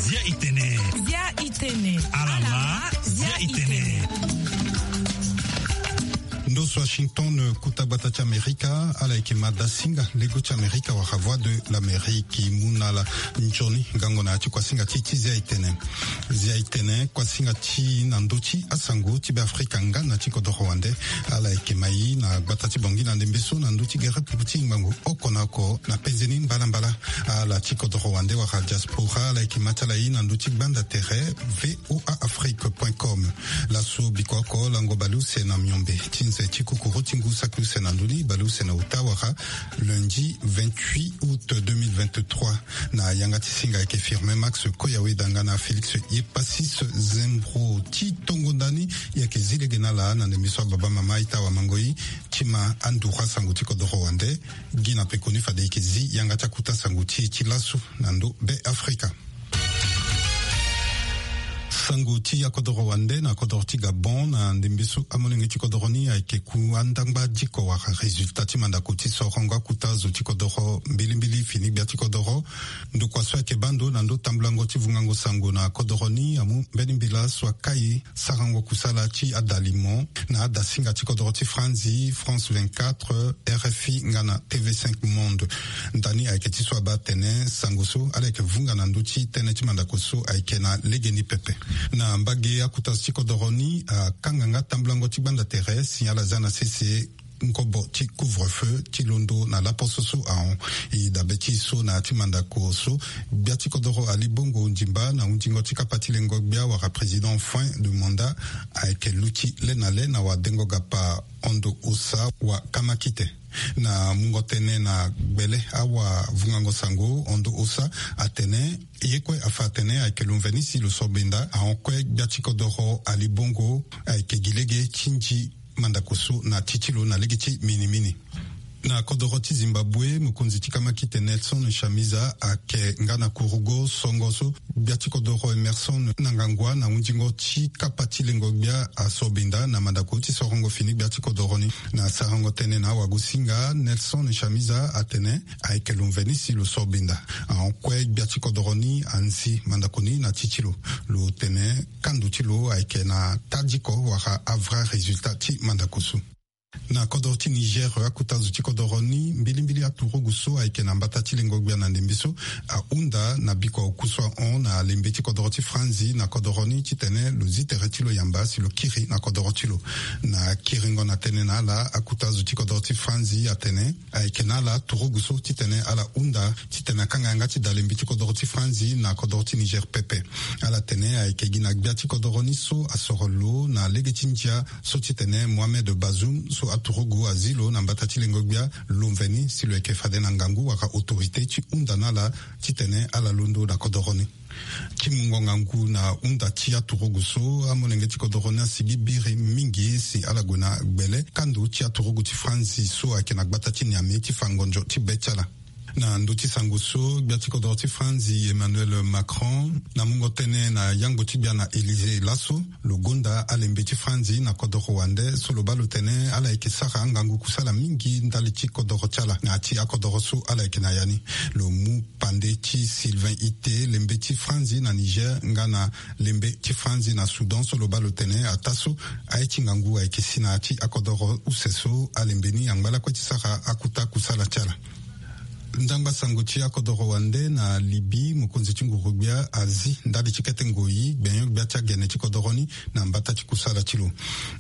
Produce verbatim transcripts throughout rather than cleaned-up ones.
Zia itene. Zia itene. Alama. Zia itene. Ndo so Washington, kuta gbata ti Amerika, ala yeke ma dasinga lego ti Amerika wala Voix de l'Amérique. Mu na ala nzoni ngangu na ya ti kuasinga ti ti zia itene. Zia itene, kuasinga ti na ndö ti asango ti Beafrika nga na ti kodoro wande. Ala yeke ma i na gbata ti Bangui na ndembe so na ndö ti gere pupu ti ngbangbo oko na oko na penze ni mbalambala. Ala ti kodoro wande wala diaspora, ala yeke ma ti ala i na ndö ti gbanda tere V O A Afrique point com. Laso biko oko lango baleuse na miombe ti nze ti kukuru ti ngu saki use na ndö ni, baleuse na ota wala lundi vingt-huit août deux mille vingt-trois. Na yanga ti singa ayeke Firmin Max Koyawe danga na Félix Yepasis Zembro. Ti tongo ndani, i yeke zi lege na ala na ndembe so ababa mama ita wamango i ti ma anduru asango ti kodoro wande. Gi na pekoni fade i yeke zi yanga ti akuta sango ti e ti laso na ndö Beafrika. Sango ti akodoro wande na kodoro ti Gabon na ndembe so amolenge ti kodoro ni ayeke ku andangba diko wala résultat ti mandako ti sorongo akuta zo ti kodoro mbilimbili fini gbia ti kodoro. Ndokua so ayeke baa ndo na ndö tambulango ti vungango sango na kodoro ni amu mbeni mbela so akai sarango kusala ti adalimo na adasinga ti kodoro ti Franzi, France vingt-quatre, R F I nga na T V cinq Monde. Ndani ayeke ti so abaa atene sango so ala yeke vunga na ndö ti tënë ti mandako so ayeke na legeni pepe. Na mbage akuta zo ti kodoro ni akanga nga tambulango ti gbanda tere si ala za na sese nkobo ti couvre-feu ti londo na laposo so ahon. E dabe ti e so na ya ti mandako so, gbia ti kodoro Ali Bongo Ondimba na hundingo ti kapa ti lengo gbia wala président fin de mandat ayeke luti le na le na wadengo gapa Ondo Osa wa kamakite. Na mungo tënë na gbele awavungango sango, Ondo Osa atene ye kue afa atene ayeke lo mveni si lo so benda ahon kue gbia ti kodoro Ali Bongo ayeke gi lege ti nzi mandako so na ti ti lo na lege ti minimini. Na kodoro ti Zimbabwe, mokonzi ti kamakite Nelson Chamisa ayeke nga na kurugo songo so gbia ti kodoro Emerson Mnangagwa na hundingo ti kapa ti lengo gbia asobinda na mandako ti sorongo fini gbia ti kodoro ni. Na sarango tënë na awagosinga, Nelson Chamisa atene ayeke lo mveni si lo sobinda ahon kue gbia ti kodoro ni anzi mandako ni na ti ti lo. Lo tene kando ti lo ayeke na tadiko wala avrai résultat ti mandako so. Na kodoro ti Niger, akuta zo ti kodoro ni, mbilimbili aturugu so ayeke na mbata ti lengo gbia na ndembe so ahunda na biko oku so ahon na lembe ti kodoro ti Franzi na kodoro ni titene lo zi tere ti lo yamba si lo kiri na kodoro ti lo. Na kiringo na tënë na ala, akuta zo ti kodoro ti Franzi atene ayeke na ala turugu so titene ala hunda titene akanga yanga ti da lembe ti kodoro ti Franzi na kodoro ti Niger pepe. Ala tene ayeke gi na gbia ti kodoro ni so asoro lo na lege ti ndia so titene Mohamed Bazoum so aturugu azi lo na mbata ti lengo gbia, lo mveni si lo yeke fade na ngangu wala autorité ti hunda na ala titene ala londo na kodoro ni. Ti mungo ngangu na hunda ti aturugu so, amolenge ti kodoro ni asigi biri mingi si ala gue na gbele kando ti aturugu ti Franzi so ayeke na gbata ti Niamey ti fa ngonzo ti be ti ala. Na ndö ti sango so, gbia ti kodoro ti Franzi Emmanuel Macron na mungo tënë na yangbo ti gbia na Élysée laso, lo gonda alembe ti Franzi na kodoro wande so lo baa lo tene ala yeke sara angangu kusala mingi ndali ti kodoro ti ala na ya ti akodoro so ala yeke na ya ni. Lo mu pande ti Sylvain Ité, lembe ti Franzi na Niger nga na lembe ti Franzi na Soudan so lo baa lo tene ataa so aye ti ngangu ayeke si na ya ti akodoro use so alembe ni angba lakue ti sara akuta kusala ti ala. Ndangba sango ti akodoro wande na Libye, mokonzi ti nguru-gbia azi ndali ti kete ngoi gbenyo-gbia ti agene ti kodoro ni na mbata ti kusala ti lo.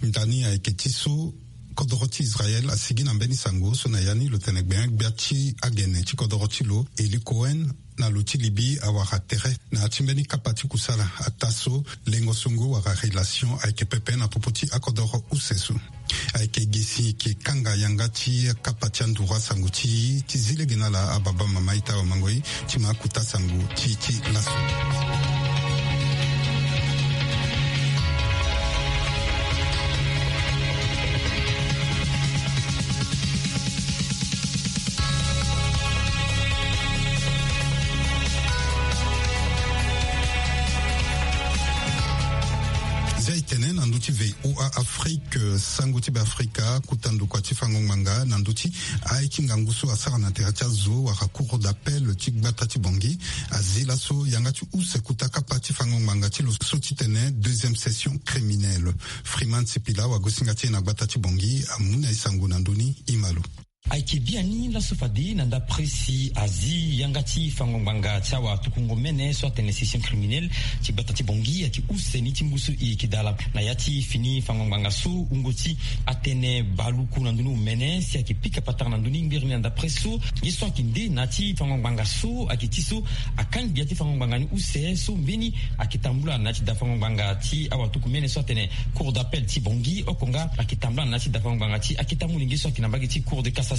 Ndani ayeke ti so kodoro ti Israël asigi na mbeni sango so na ya ni lo tene gbenyo-gbia ti agene ti kodoro ti lo, Eli Cohen, na lo ti Libye awara tere na ya ti mbeni kapa ti kusala ataa so lengo songo wala relation ayeke pepe na popo ti akodoro use so. Ayeke gi si e yeke kanga yanga ti kapa ti anduru asango ti e ti zi lege na ala ababa mama ita wamango e ti ma akuta sango ti e ti laso. Zia e tene na ndö ti V O A Afrique. Sango ti Beafrika, kuta ndokua ti fango ngbanga na ndö ti aye ti ngangu so asara na tere ti azo wala cour d'appel ti gbata ti Bangui, azi laso yanga ti use kuta kapa ti fango ngbanga ti lo so ti tene deuxième session criminelle. Freeman Sipila, wagosinga ti e na gbata ti Bangui, amu na e sango na ndö ni. Imalo. Ayeke biani laso fade na ndapre si azi yanga ti fango ngbanga ti awatukungo mene so atene session criminelle ti gbata ti Bangui ayeke use ni ti ngu so e yeke dala. Na ya ti fini fango ngbanga so wungo ti atene baluku na ndö ni omene si ayeke pika patara na ndö ni ngbiri ni na ndapre so. Ye so ayeke nde na ya ti fango ngbanga so ayeke ti so akangi gbia ti fango ngbanga ni use so mbeni ayeke tambula na ya ti da fango ngbanga ti awatuku mene so atene cour d'appel ti Bangui, oko nga ayeke tambula na ya ti da fango ngbanga ti akete amolenge so ayeke na mbage ti cour de cassation.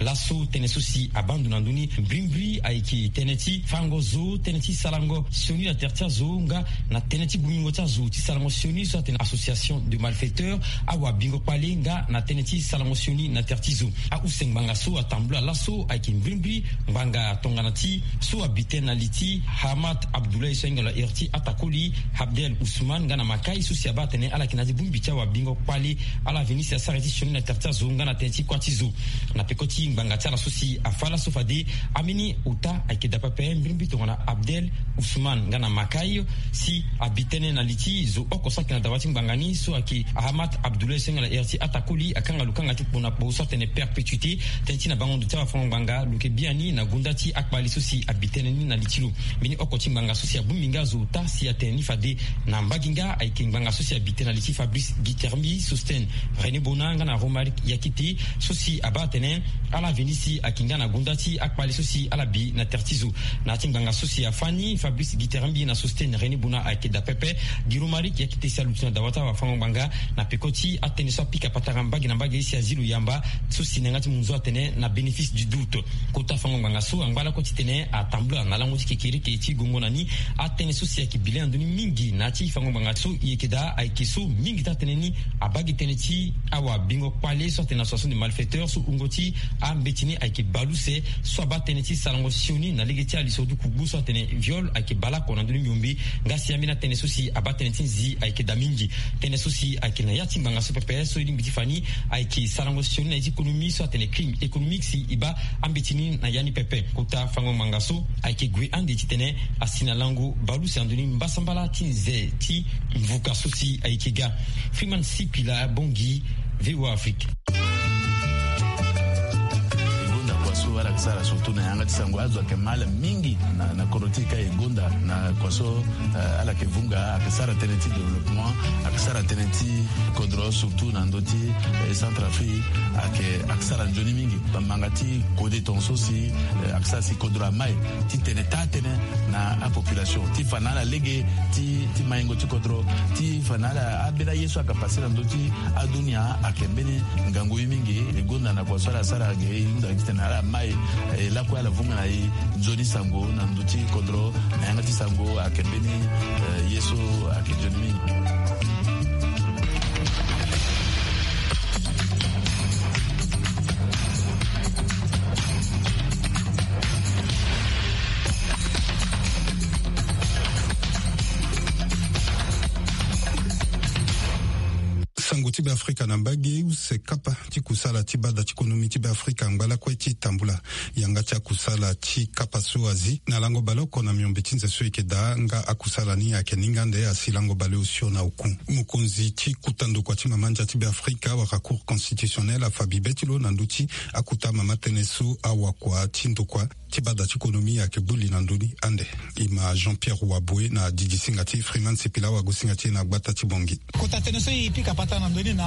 Laso tënë so si abaa ndo na ndö ni mbrimbri ayeke tënë ti fango zo, tënë ti sarango sioni na tere ti azo nga na tënë ti bongbingo ti azo ti sarango sioni so atene association de malfaiteurs, awabingo kpale nga na tënë ti sarango sioni na tere ti zo. Ahunse ngbanga so atambula laso ayeke mbrimbri ngbanga tongana ti so abi tënë na li ti Hamad Abdoulaye so ahinga lo ahiri ti atakoli Abdel Ousmane nga na Makai so si abaa atene ala yeke na ya ti bongbi ti awabingo kpale, ala veni si asara ye ti sioni na tere ti azo nga na tënë ti kuâ ti zo. Na peko ti ngbanga ti ala so si afâ laso fade ambeni ota ayeke daa pepe mbrimbri tongana Abdel Ousmane nga na Makai si abi tënë na li ti zo oko so ayeke na dawa ti ngbanga ni so ayeke Ahamad Abdoulaye so ahinga lo ahiri ti atakoli akanga lo kanga ti kpo na kpo so atene perpétuité. Tënë ti na bango ndo ti awafango ngbanga lo yeke biani na gonda ti akpali so si abi tënë ni na li ti lo. Mbeni oko ti ngbanga so si abongbi nga azo ota si atene ni fade na mbage nga ayeke ngbanga so si abi tënë na li ti Fabrice Guitermbi, Sostène René Bona nga na Romaric Yakite so si abaa atene ala veni si ayeke nga na gonda ti akpali so si ala bi na tere ti zo. Na ya ti ngbanga so si afâ ni, Fabrice Guitermbi na Sostène René Bona ayeke daa pepe. Gi Romaric Yakite si aluti na dawa ti awafango ngbanga na peko ti atënë so apika patara mbage na mbage si azi lo yamba so si na yanga ti munzu atene na bénéfice du doute. Kota fango ngbanga so angba lakue titene atambula na lango ti kekereke ti gongo na ni atënë so si ayeke bi le na ndö ni mingi na ya ti fango ngbanga so e yeke daa ayeke so mingi ti atënë ni abaa gi tënë ti awabingo kpale so atene association de malfaiteurs so wungo ti ambeti ni ayeke bale use so abaa tënë ti sarango sioni na lege ti aliso ti kugbu so atene viol ayeke bale oko na ndö ni miombe. Nga si ambeni atënë so si abaa tënë ti nzi ayeke daa mingi. Tënë so si ayeke na ya ti ngbanga so pepe so e lingbi ti fa ni ayeke sarango sioni na ya ti économie so atene crime économique si e baa ambeti ni na ya ni pepe. Kota fango ngbanga so ayeke gue ande titene asi na lango bale use na ndö ni mbasambala ti nze ti mvuka so si ayeke ga. Freeman Sipila, Bangui, V O A Afrique. E gonda kua so ala yeke sara surtout na yanga ti sango azo ayeke ma ala mingi na, na kodro ti e ka e gonda na kua so, eh, ala yeke vunga, ayeke sara tënë ti développement, ayeke sara tënë ti kodro surtout na ndö ti, eh, Centrafrique, ayeke, ayeke sara nzoni mingi. Bamanga ti kode tongaso si, eh, ayeke sara si kodro amai titene taa tënë na apopulation ti fa na ala lege ti, ti maingo ti kodro, ti fa na ala ambeni aye so ayeke pase na ndö ti adunia ayeke mbeni ngangu ye mingi. E gonda na kua so ala sara ge e hunda titene ala mai, eh, lakue ala vunga na e nzoni sango na ndö ti kodro na yanga ti sango ayeke mbeni, eh, ye so ayeke nzoni mingi. Sango ti Beafrika na mbage, use kapa ti kusala ti bada ti konomi ti Beafrika angba lakue ti tambula yanga ti akusala ti kapa so azi na lango baleoko na miombe ti nze so e yeke daa, nga akusala ni ayeke ninga ande asi lango baleosio na oku. Mokonzi ti kuta ndokua ti mama ndia ti Beafrika wala Cour constitutionnelle afa bibe ti lo na ndö ti akuta mama tënë so awakua ti ndokua ti bada ti konomi ayeke gbu li na ndö ni ande. E ma Jean-Pierre Waboué na didisinga ti Freeman Sipila, wagosinga ti e na gbata ti Bangui. Kota tënë so e pika patara na ndö ni na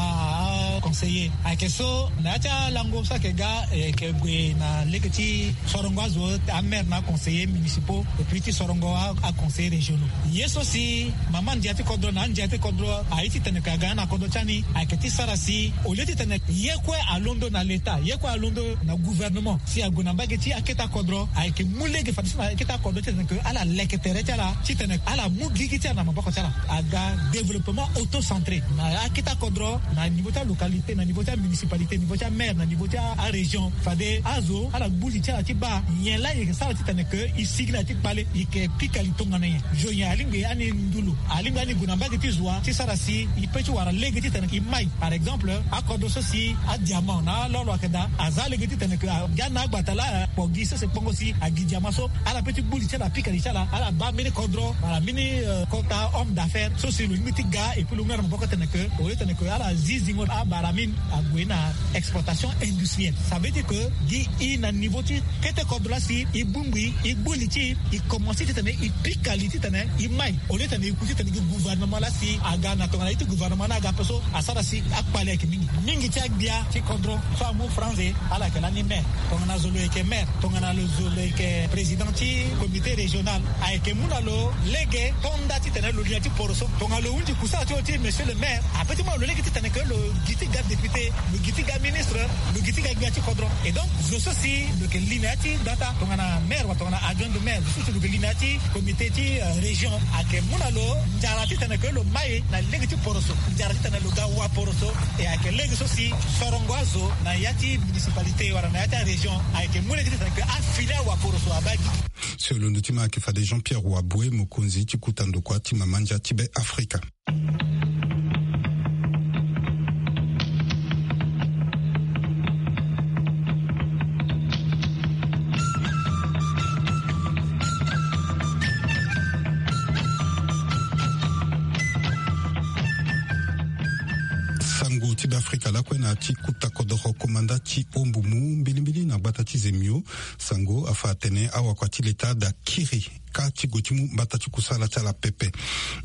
aconseiller ayeke so na ya ti alango so ayeke ga, e yeke gue na lege ti sorongo azo, amaire na aconseiller municipaux, et puis ti sorongo a, aconseiller régionaux. Ye so si mama ndia ti kodro na andia ti kodro aye titene ka ga na kodro ti ani ayeke ti sara si au lieu titene ye kue alondo na l'État, ye kue alondo na gouvernement, si ague na mbage ti akete akodro. Ayeke mu lege fadeso na akete akodro titene ke ala leke tere ti ala titene ala mu gigi ti ala na maboko ti ala. Aga développement auto centré na akete akodro, na niveau ti alocalité, na niveau ti amunicipalité, niveau ti amaire, na niveau ti arégion. Fade azo ala gbu li ti ala ti baa nyen laa e yeke sara titene ke e sigi na ya ti kpale, e yeke pika li tongana nyen. Zo nyen alingbi ani ndulu, alingbi ani gue na mbage ti zo wa ti sara si e pe ti wara lege titene e mai. Par exemple, akodro so si adiamant na alolo ayeke daa, aza lege titene ke aga na agbata laa kpo gi sese kpongo si agi diamant so. Ala pe ti gbu li ti ala, apika li ti ala, ala baa mbeni kodro wala mbeni kota homme d'affaires so si lo lingbi ti ga, et puis lo mu na maboko titene ke au lieu titene ke ala zi zingo abara mine, ague na exploitation industrielle. Ça veut dire que gi e na niveau ti kete kodro laa si e bongbi e gbu li ti e, e commencer titene e pika li titene e mai. Au lieu titene e ku titene gi gouvernement laa si aga na tongana ye ti gouvernement ni aga ape so asara si akpale ayeke mingi. Mingi ti agbia ti kodro so amu franze, ala yeke lani maire. Tongana zo lo yeke maire, tongana lo zo lo yeke président ti comité régional, ayeke mu na lo lege to nda titene lo li na ya ti poro so. Tongana lo hunzi kusala ti lo ti monsieur le maire, ape ti mu na lo lege titene ke lo gi ti ga député, lo gi ti ga ministre, lo gi ti ga gbia ti kodro. Et donc zo so si lo yeke li na ya ti data, tongana maire wala tongana adjoint de maire, zo so si lo yeke li na ya ti comité ti région, ayeke mu na lo nzara titene ke lo mai na lege ti poro so, nzara titene lo ga wa poro so. E ayeke lege so si sorongo azo na ya ti municipalité wala na ya ti arégion ayeke mu lege titene ke afili awa poro so abaa gi. So e londo ti ma ayeke fade Jean Pierre Waboué, mokonzi ti kuta ndokua ti mama ndia ti Be Afrika. Sango ti Be Afrika lakue na ya ti kuta kodoro komanda ti Ombumu mbilimbili na gbata ti Zemio. Sango afa atene awakua ti leta daa kiri ka ti gue ti mu mbata ti kusala ti ala pepe.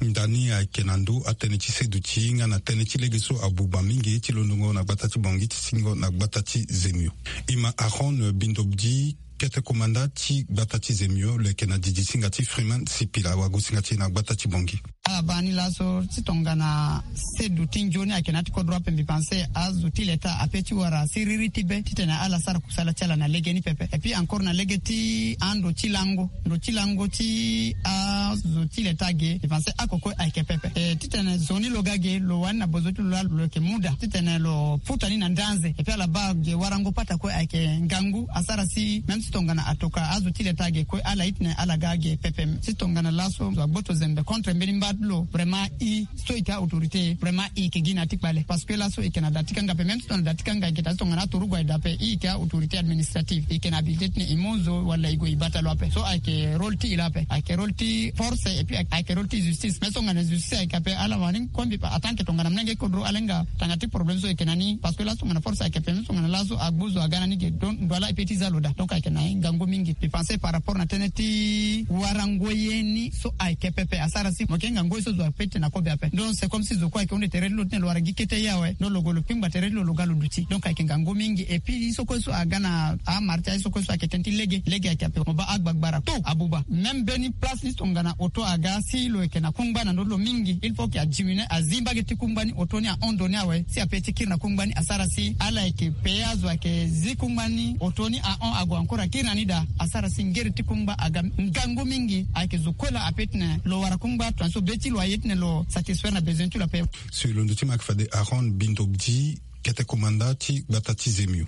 Ndani ayeke na ndö atënë ti seduti nga na tënë ti lege so abuba mingi ti londongo na gbata ti Bangui ti singo na gbata ti Zemio. E ma Aaron Bindobdi, kete komanda ti gbata ti Zemio, lo yeke na didi singa ti Freeman Sipila, wagosinga ti e na gbata ti Bangui. Ala baa ni laso ti tongana seduti nzoni ayeke na ya ti kodro ape, mbi pense azo ti leta ape ti wara siriri ti be titene ala sara kusala ti ala na lege ni pepe. Et puis encore na lege ti ando ti lango, ndo ti lango ti azo ti leta ge, mbi pense akokue ayeke pepe. E titene zo ni lo ga ge, lo wani na bozo ti lo laa lo yeke mu daa titene lo futa ni na ndanze. Et puis ala baa ge warango pata kue ayeke ngangu asara si même si tongana atoka azo ti leta ge kue ala itene ala ga ge pepe. Si tongana laso zo agboto zembe contre mbeni mba ti lo, vraiment i so i yeke autorité, vraiment i yeke gi na ya ti kpale. Parce que laso i yeke na da ti kanga ape, même si tongana da ti kanga i yeke daa, si tongana aturugu aye daa ape, i yeke autorité administrative, i yeke na habilité titene i mu zo wala i gue i bata lo ape. So ayeke rôle ti i laa ape, ayeke rôle ti force et puis ayeke rôle ti justice. Mais so tongana justice ayeke ape, ala wani kue mbi pa en tant que tongana molenge kodro ala hinga tanga ti problème so e yeke na ni. Parce que laso tongana force ayeke ape, même so tongana laso agbu zo aga na ni ge, donc ndo ala e pe ti za lo daa. Donc ayeke na ye ngangu mingi. Mbi pense par rapport na tënë ti warango ye ni so ayeke pepe asara si mo yeke hinga ngoi so zo ape ti tene na kobe ape. Donc c'est comme si zo kue ayeke hunda tere ti lo titene lo wara gi kete ye awe. Donc lo gue lo pingba tere ti lo, lo ga lo duti. Donc ayeke ngangu mingi. Et puis ye so kue so aga na amara ti aye so kue so ayeke tënë ti lege, lege ayeke ape. Mo baa agbagbara tout abuba. Même mbeni place ni si tongana auto aga si lo yeke na kungba na ndö ti lo mingi, il faut que adiminuer, azi mbage ti kungba ni, auto ni ahon ndo ni awe si ape ti kiri na kungba ni asara si ala yeke payer azo ayeke zi kungba ni, auto ni ahon ague encore akiri na ni daa, asara si ngere ti kungba aga ngangu mingi. Ayeke zo kue laa ape titene lo wara kungba tongana so be ti lo aye titene lo satisfaire na besoin ti lo ape. So e londo ti ma ayeke fade Aaron Bindobdi, kete komanda ti gbata ti Zemio.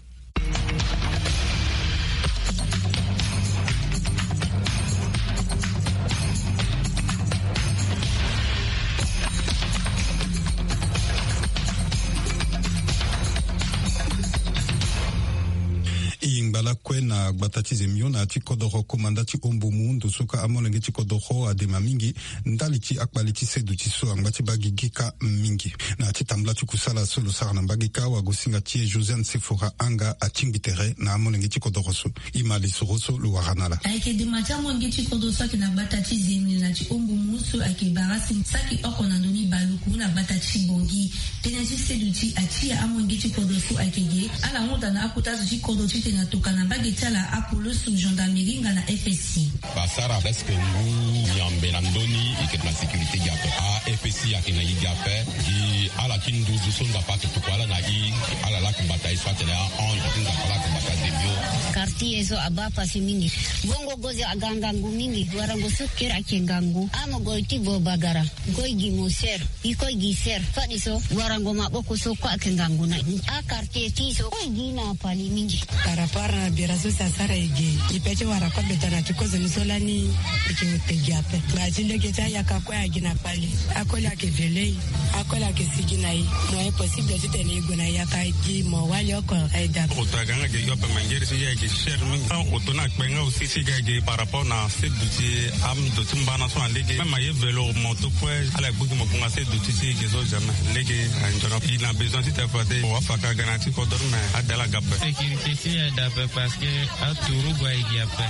E yingba lakue na gbata ti Zemio na ya ti kodoro komanda ti Ombumu, ndo so ka amolenge ti kodoro adema mingi ndali ti akpale ti seduti so angba ti baa gigi ka mingi. Na ya ti tambula ti kusala so lo sara na mbage ka, wagosinga ti e Josiane Sefora Anga atingbi tere na amolenge ti kodoro so. E ma lisoro so lo wara na ala. Ayeke dema ti amolenge ti kodro so ayeke na gbata ti Zemio na ti Ombumu so ayeke bara si saki oko na ndoni baluku na gbata ti Bangui. Tënë ti seduti atia amolenge ti kodro so ayeke ge, ala hunda na akota zo ti kodro titene ato Ka na mbage ti ala apoloso gendarmerie nga na fsi. Basara presque ngu miambe na ndoni eke na sécurité gi ape. A fsi ake na yi gi ape. Gi ala ti nduzu so ndapa ake tuku ala na yi. Ala laki mbata yi so atene a-hon ti ndapa ala ake mbata demio. Quartier so abaa pasi mingi. Bongo gozo aga ngangu mingi. Warango so kere ake ngangu. Amo goi ti bo bagara. Goi gi mo ser. Iko gi ser fadi so warango maboko so kue ake ngangu na i. Akartie ti so kue gi na pali mingi. Par rapport na bira so si asara ege. Ipe ti wara kue beta na ti kozoni so lani. Eke te gi ape. Nga ti lege ti ayaka kue agi na pali. Akoli ake vele i. Akoli ake sigi na i. Mo impossible ti tene i gue na yaka gi mo wali oko. Aida. Oto aga nga ge yo pe mangeri si ya ge cher mingi. Oto na kpenga aussi si ga ge par rapport na se duti am duti mbana so na lege. Même aye velo moto kue ala gbigi mo kunga se duti si ge so jamais lege. Anjona il a besoin ti te fade wa faka gana ti kodor mais adala gape. Sécurité si ada pe parce que aturu gua igi ape.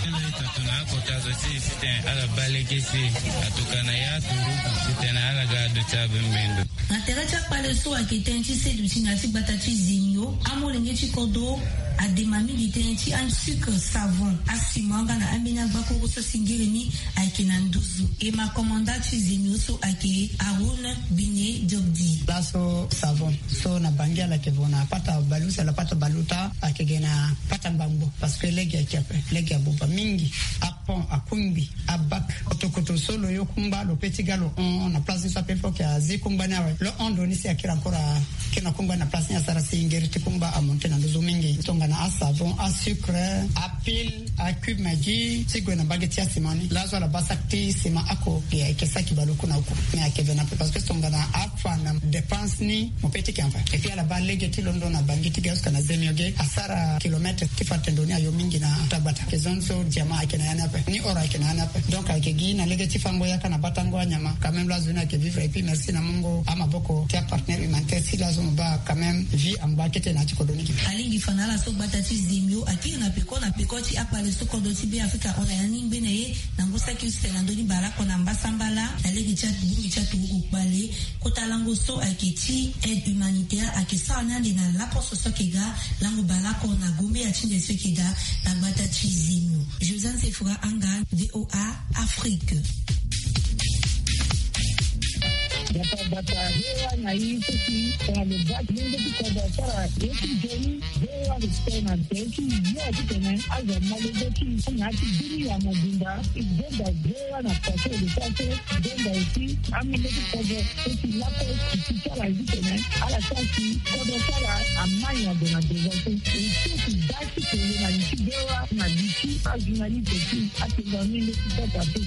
Tuna akota zo si siten ala balege si atuka na ya turu siten ala ga duti abembendo. Na tere ti akpale so ayeke tënë ti seduti na ya ti gbata ti zemio amolenge ti kodro. Adema mingi tënë ti asucre savon asima nga na ambeni agbakuru so singiri ni ayeke na nduzu. E ma komanda ti zemio so ayeke arun bine diobdi. Laso savon so na bangi ala yeke vo na pata balusa la pata baluta ayeke ge na pata ngbangbo. Parce que lege ayeke ape lege abuba mingi. Apon akungbi abak kotokoto so lo yo kungba lo pe ti ga lo hon na place ni so ape fo ke azi kungba ni awe lo hon ndo ni si akiri encore akiri na kungba ni na place ni asara si ngeri ti kungba amonte na nduzu mingi tongana asavon asucre apile acube magi ti gue na mbage ti asima ni laso ala baa saki ti sima ako e ayeke saki baleoku na oku. Mais ayeke ve na ape parce que tongana afa na dépense ni mo pe ti ke anfa. Et puis ala baa lege ti londo na bangi ti ga jusque na zemio ge asara kilomètre ti fa tendo ni ayo mingi na tagbata. Ke zone so diamant ayeke na ya ni ape ni or ayeke na ya ni ape. Donc ayeke gi na lege ti fango yaka na batango anyama quand même lazo ni ayeke vivre et puis merci na mungo amaboko ti apartenaire humanitaire si lazo mo baa quand même vie angba kete na ya ti kodro ni gi. Alingbi fa na ala so gbata ti zemio akiri na peko na peko ti akpale so kodro ti be afrika hon na ya ni ngbene ye. Na ngu saki use na ndö ni baleoko na mbasambala na lege ti abongbi ti aturuku kpale. Kota lango so ayeke ti aide humanitaire ayeke sara ni ande na laposo so ayeke ga lango baleoko na gombe ya ti nde so ayeke ga na gbata ti zemio. Josiane sefora anga voa afrique. Bata bata hewa na ye soki tongana lo bati lenge ti kodro asara ye ti joni. Voa respect na tënë ti yo ti tene azo amolenge ti na ya ti bini ya mobimba. Zonza voa na pase de pase. Zonza aussi amolenge ti kodro so ti lako ti ti ti ala ye ti tene ala sara ti kodro ti ala amai na do na deza so. E so ti da ti tene na li ti voa na li ti ajournaliste ti atenda menge ti kota so.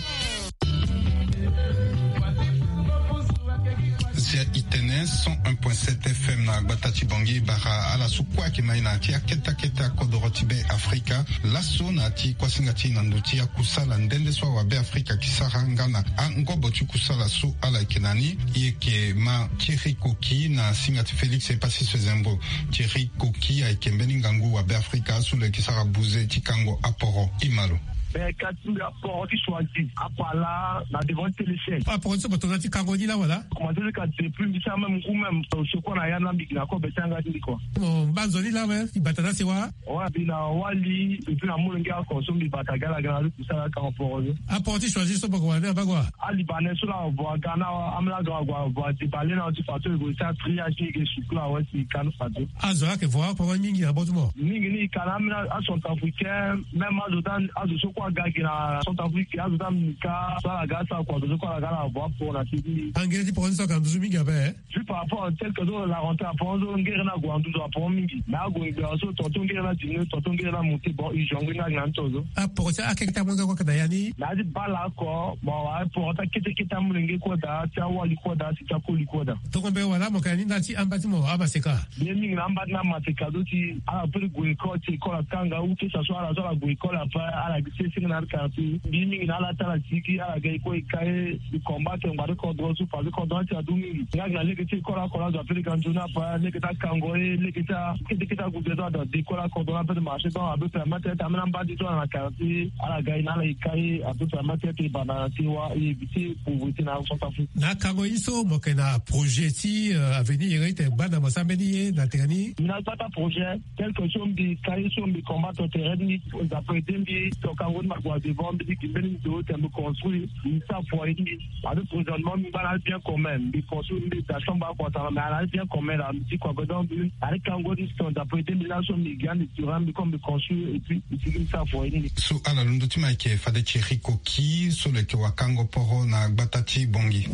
Zia itene cent un point sept fm na gbata ti bongi bara ala so kue ayeke mai na ya ti akete akete akodoro ti be afrika. Laso na ya ti kuasinga ti na ndo ti akusala nde nde so awabe afrika ayeke sara nga na angobo ti kusala so ala yeke na ni. E yeke ma thierry koki na singa ti félix epassis zembo. Thierry koki ayeke mbeni ngangu wabe afrika so lo yeke sara buze ti kango aporo. Ima lo. Mais ka ti mbi aporo ti choisi apala na devant ti téléchaîne. Aporo ti so bato na ti kango ni la wala. Commencé jusqu'à depuis mbi sara même ngu même osokua na ya na mbi na kobe ti anga ti mbi kua. Mo mbanzo ni la we ti bata na sewa. Wa mbi na wali depuis na molenge oko so mbi bata gala gala ti kusala kango poro ni. Aporo ti choisi so bako wala ni abagua. Alibanais so la avo aga na amela ga avo avo adebale na ti fato ego ti atria ti ege sukula awe si kanu fato. Azo ayeke vo aporo mingi na botu mo. Mingi ni ka na amela acentrafricain. Même azo ti azo so kue aga gi na centrafrique azo ti amika so ala ga asara kua azo so kue ala ga ala avo aporo na ti ni. Angere ti poro ni so ayeke na nduzu mingi ape. Juste par rapport tel que so la rentrée aporo so ngere ni ague na nduzu aporo mingi. Mais ague gbera so tonton ngere ni adiminu tonton ngere ni amonte bon urgent ngbeni agi na ni to so. Aporo ti akeke ti amonge kue ayeke na ya ni. Mais adi bala oko bon aporo ti akete kete amolenge kue daa ti awali kue daa si ti akoli kue daa. Tongo mbe wala mo yeke na ni nda ti amba ti mo amaseka. Mbi ye mingi na amba ti na maseka so si ala peut ti gue école ti école atanga ou que ça soit ala so ala gue école après ala gi se. Ti ga na ala quartier mbi mingi na ala ti ala sigi ala ga e kue e ka e. Mbi combattre ngba ti kodro so parce que kodro ni ti adu mingi. Nga gi na lege ti école oko la zo ape lege anzoni apa lege ti akango e lege ti a kete kete agude so ada de école akodro la ape ti marché donc ape permettre ti ambeni amba ti so ala na quartier ala ga e na ala e ka e ape permettre ti e banda na ti wa e éviter pauvreté na ala. Centrafrique. Na akango ye so mo yeke na projet ti avenir iri ti gbanda mo sara mbeni ye na tene ni. Mbi na gbata projet quelque so mbi ka ye so mbi combattre terrain ni. Nzapa ede mbi toka ngoni ma kua devant mbi ti gi mbeni ndo te mbi construire mbi sa foyer ni. Ade prochainement mbi ngba na ali bien commun mbi construire mbi da chambre akua sara mais ala ali bien commun la mbi ti kua godon mbi ade kango ni so nzapa ede mbi laso mbi gi ande durant mbi comme mbi construire et puis mbi ti gi mbi sa foyer ni. So ala londo ti ma yeke fade ti riko ki so lo yeke wakango poro na gbata ti bongi.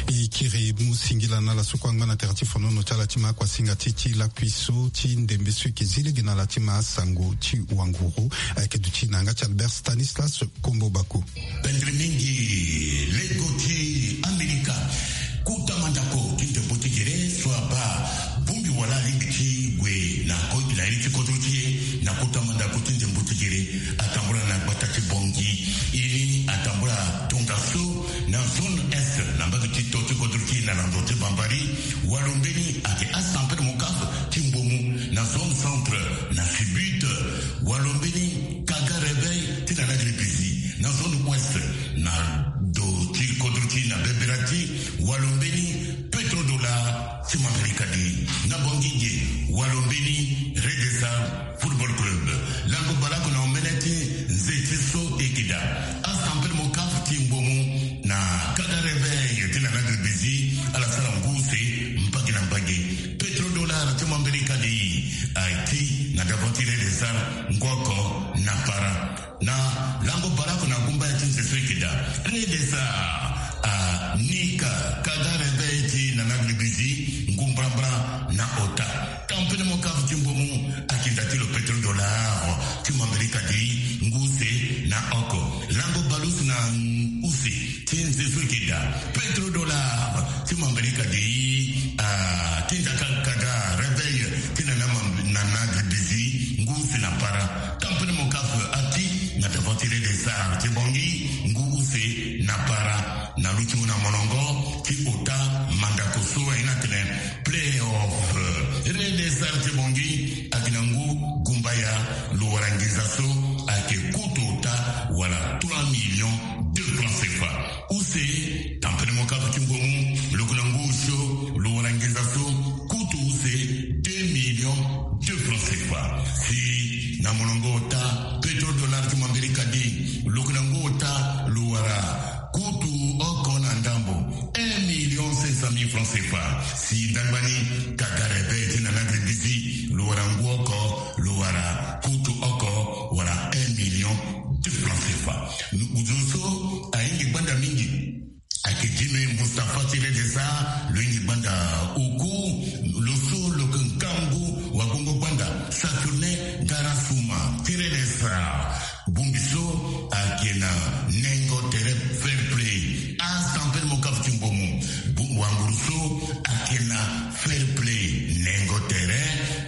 E kiri mu singila na ala so kue angba na tere ti fonono ti ala ti ma akuasinga ti ti lakui so ti ndembe so e yeke zi lege na ala ti ma asango ti wanguru. Ayeke duti na yanga ti Albert Stanislas Kombo Bako. Pendre mingi lego ti Amerika. Kota mandako ti ndembo ti gere so abaa bongbi wala alingbi ti gue na ko na ye ti kodro ti e na kota mandako ti ndembo ti gere. Atambula na gbata ti bongi. E ni atambula tongaso na zone est na mbage ti to ti kodro ti e na lando ti bambari. Walo mbeni ayeke asampere mokaf ti mbomu na zone centre na sibut. Walo mbeni kaga réveil ti na na gripisi na zone ouest na do ti kodro ti na beberati. Walo mbeni pétrodollar ti mambiri kadi na bongi ge. Walo mbeni redesar football club. Lango balaku na omene ti nze ti so e yeke daa asampere mokaf ti mbomu na kaga réveil ti na na gripisi. Ala sara ngu use mbage na mbage. Pétrodollar ti mambiri kadi aye ti na davant ti redesar ngu oko na para. Na lango balaku na gumbaya ti nze so e yeke daa redesar anika kaga réveil ti na na gripisi ngu mbrambra na ota. Tampene mokaf ti mbomu akinda ti lo pétrodollar ti mambiri kadi ngu use na oko. Lango balusu na use ti nze so e yeke daa pétrodollar ti mambiri kadi akinda kaga réveil ti na na gripisi ngu use na para. Tampene mokaf ati na davant ti redesar ti bongi ngu use na para. Na luti mu na molongo ti ota mandako so aye ni atene playoff. Redesar ti bongi ayeke na ngu gumbaya lo wara nginza so ayeke kutu ota wala trois millions de francs cfa. Use tampene mokaf ti mbomu lo yeke na ngu osio lo wara nginza so kutu use deux millions de francs cfa. Si na molongo ota pétrodollar ti mambiri kadi lo yeke na ngu ota lo wara kutu oko na ndambo un million cinq cent mille francs cfa. Si ndangba ni kaga réveil ti na na gripisi lo wara ngu oko lo wara kutu oko wala un million de francs cfa. Nduzu so ayingi gbanda mingi ayeke dime Mustapha ti redesar lo yingi gbanda oku. Lo so lo yeke ngangu wagongo gbanda Saturnin Garasuma ti redesar. Bongbi so ayeke na nengo tere fair play. Asampere mokaf ti mbomu wanguru so ayeke na fair play nengo tere.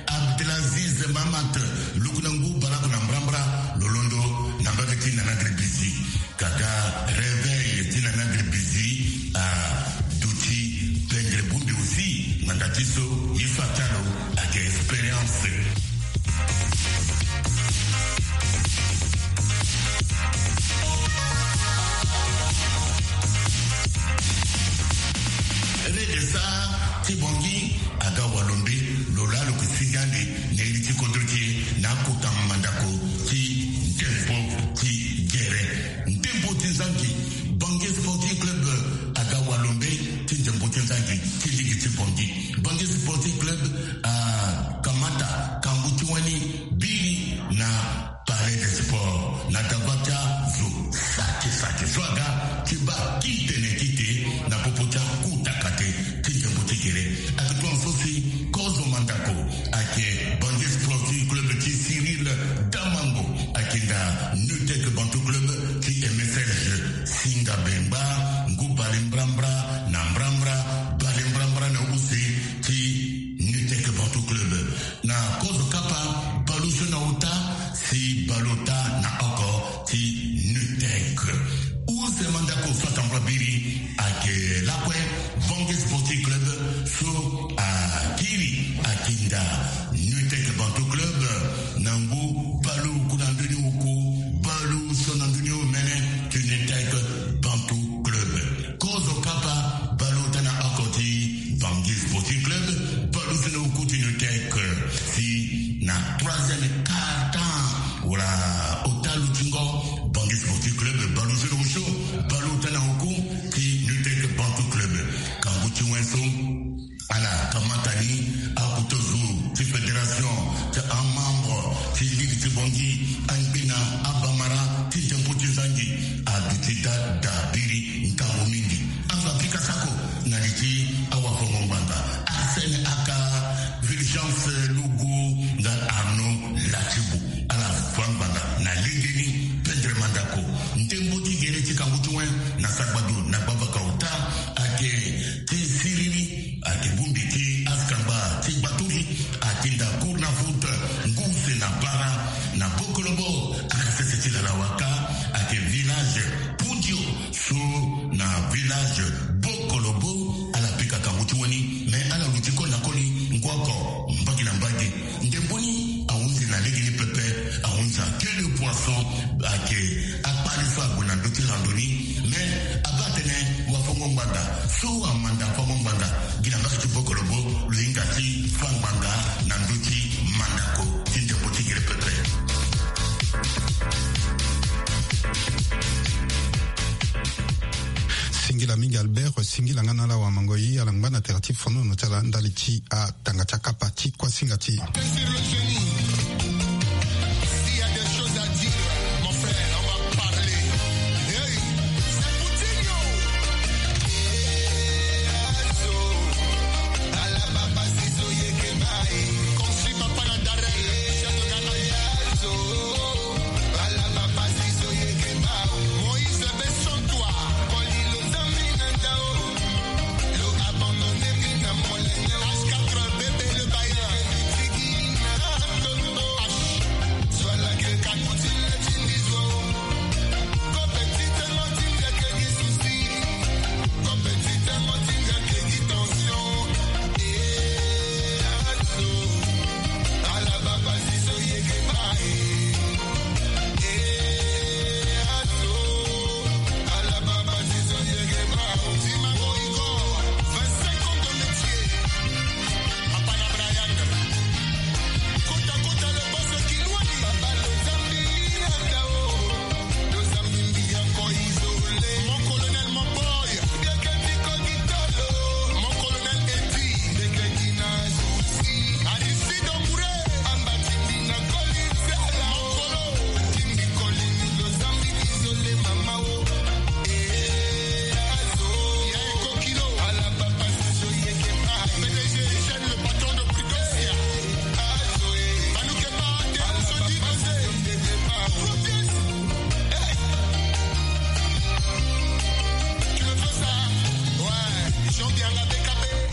Abdelaziz Mamat lo yeke na ngu balaku na mbrambra lo londo na mbage ti na na gripisi. Kaga réveil ti na na gripisi aduti pendre bongbi aussi. Ngbanda ti so ye so atia lo ayeke expérience. Redesar ti bongi aga walombe lo laa lo yeke sigi ande na iri ti kodro ti e na akota mandako ti ndembo ti gere. Ndembo ti nzangi. Bongi Sporting Club aga walombe ti ndembo ti nzangi ti ligi ti bongi. Bongi Sporting Mandako so atambula biri ayeke lakue Bangui Sporting Club so akiri akinda Nutec Bantu Club na ngu baleoku na ndoni oku, baleoso na ndoni omene ti Nutec Bantu Club. Kozo papa baleota na oko ti Bangui Sporting Club, baleoso na oku ti Nutec si na troisième quart-temps wala ota lutingo Bangui Sporting Club baleoso na osio baleota na oku ti Nutec Bantu Club. Kangu ti wen so ala kamata ni akutozo ti fédération ti amembre ti ligi ti Bangui angbena abamara ti ndembo ti zangi aduti dada biri ngangu mingi. Anga bika sako na li ti awafongo ngbanga Arsène aka Fulgence Lugu nga Arnaud Latibu. Ala fa ngbanga na lege ni pendre mandako. Ndembo ti gere ti kangu ti wen na sagbadu na gbavaka ota ayeke ti siriri ayeke bongbi ti askangba ti gbatori atinda cour na foot ngu use na bara na bokolobo aka sese ti lala waka ayeke village Pundio so na village bokolobo. Ala pika kangu ti wen ni me ala luti koli na koli ngu oko mbage na mbage. Ndembo ni ahunzi na lege ni pepe ahunzi ake le poisson ayeke akpari so ague na ndö ti rando ni. Me abaa tene wafongo ngbanda so amanda fango ngbanda gi na mbage ti bokolobo lo hinga ti fa ngbanga na ndö ti mandako ti ndembo ti gere pepe. Singila mingi Albert, singila nga na ala wamango ye ala ngba na tere ti fonono ti ala ndali ti atanga ti akapa ti kuasinga ti.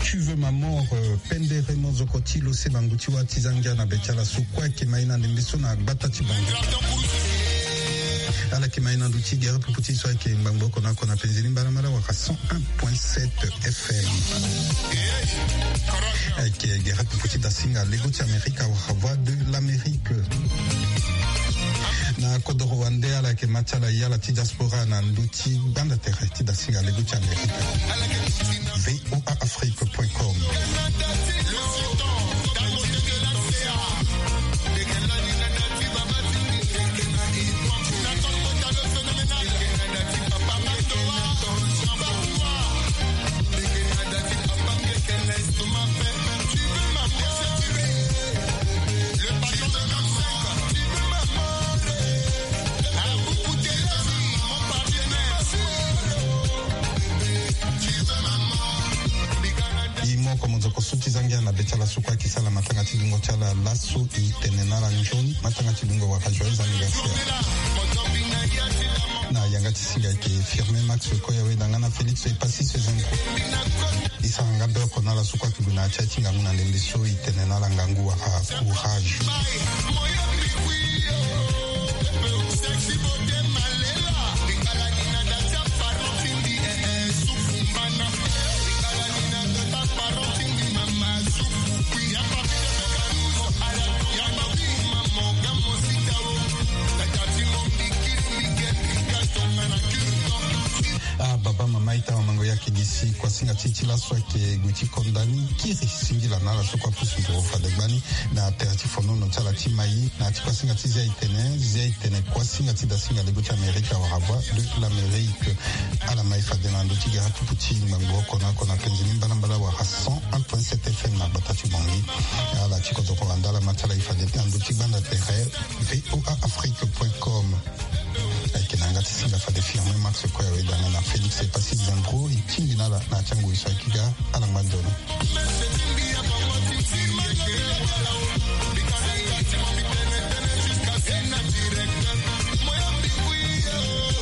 Tu veux ma mort, euh, pendere mozoko ti lo se bangu ti wa ti zangia na be ti ala so kue ayeke ma ye na ndembe so na gbata ti bangu. Ala yeke ma ye na ndö ti gere pupu ti so ayeke ngbangbo oko na oko na penze ni mbalambala wala cent un point sept F M. Ayeke gere pupu ti dasinga lego ti Amerika wala Voix de l'Amérique. Na kodoro wande ala yeke ma ti ala ye ala ti diaspora na ndö ti gbanda tere ti dasinga lego ti Amerika. V O A Afrique point com. E moko mozoko so ti zangia na be ti ala so kue ayeke sara matanga ti dungo ti ala laso, e tene na ala nzoni matanga ti dungo wala joyeux anniversaire. Na yanga ti singa ayeke Firmin Max Koya Weda nga na Félix Epassi Sezengo. E sara nga be oko na ala so kue ayeke gue na ya ti aye ti ngangu na ndembe so, e tene na ala ngangu wala courage. Ayeke gi si kuasinga ti e ti laso ayeke gue ti konda ni kiri singila na ala so kue apusu nduru fade gbani na tere ti fonono ti ala ti mai. Na ya ti kuasinga ti zia itene, zia itene kuasinga ti dasinga lego ti Amerika wala Voix de l'Amérique. Ala mai fade na ndö ti gara tupu ti ngbangbo oko na oko na penze ni mbalambala wala cent un point sept F M na gbata ti Bangui. Ala ti kodoro wanda ala ma ti ala e fade na ndö ti gbanda tere V O A Afrique point com. Ayeke na yanga ti singa fade Firmin Max kue awe danga na Félix Epassi Zembro e tingbi na ala na ya ti angoi so ayeke ga. Ala ngba nzoni.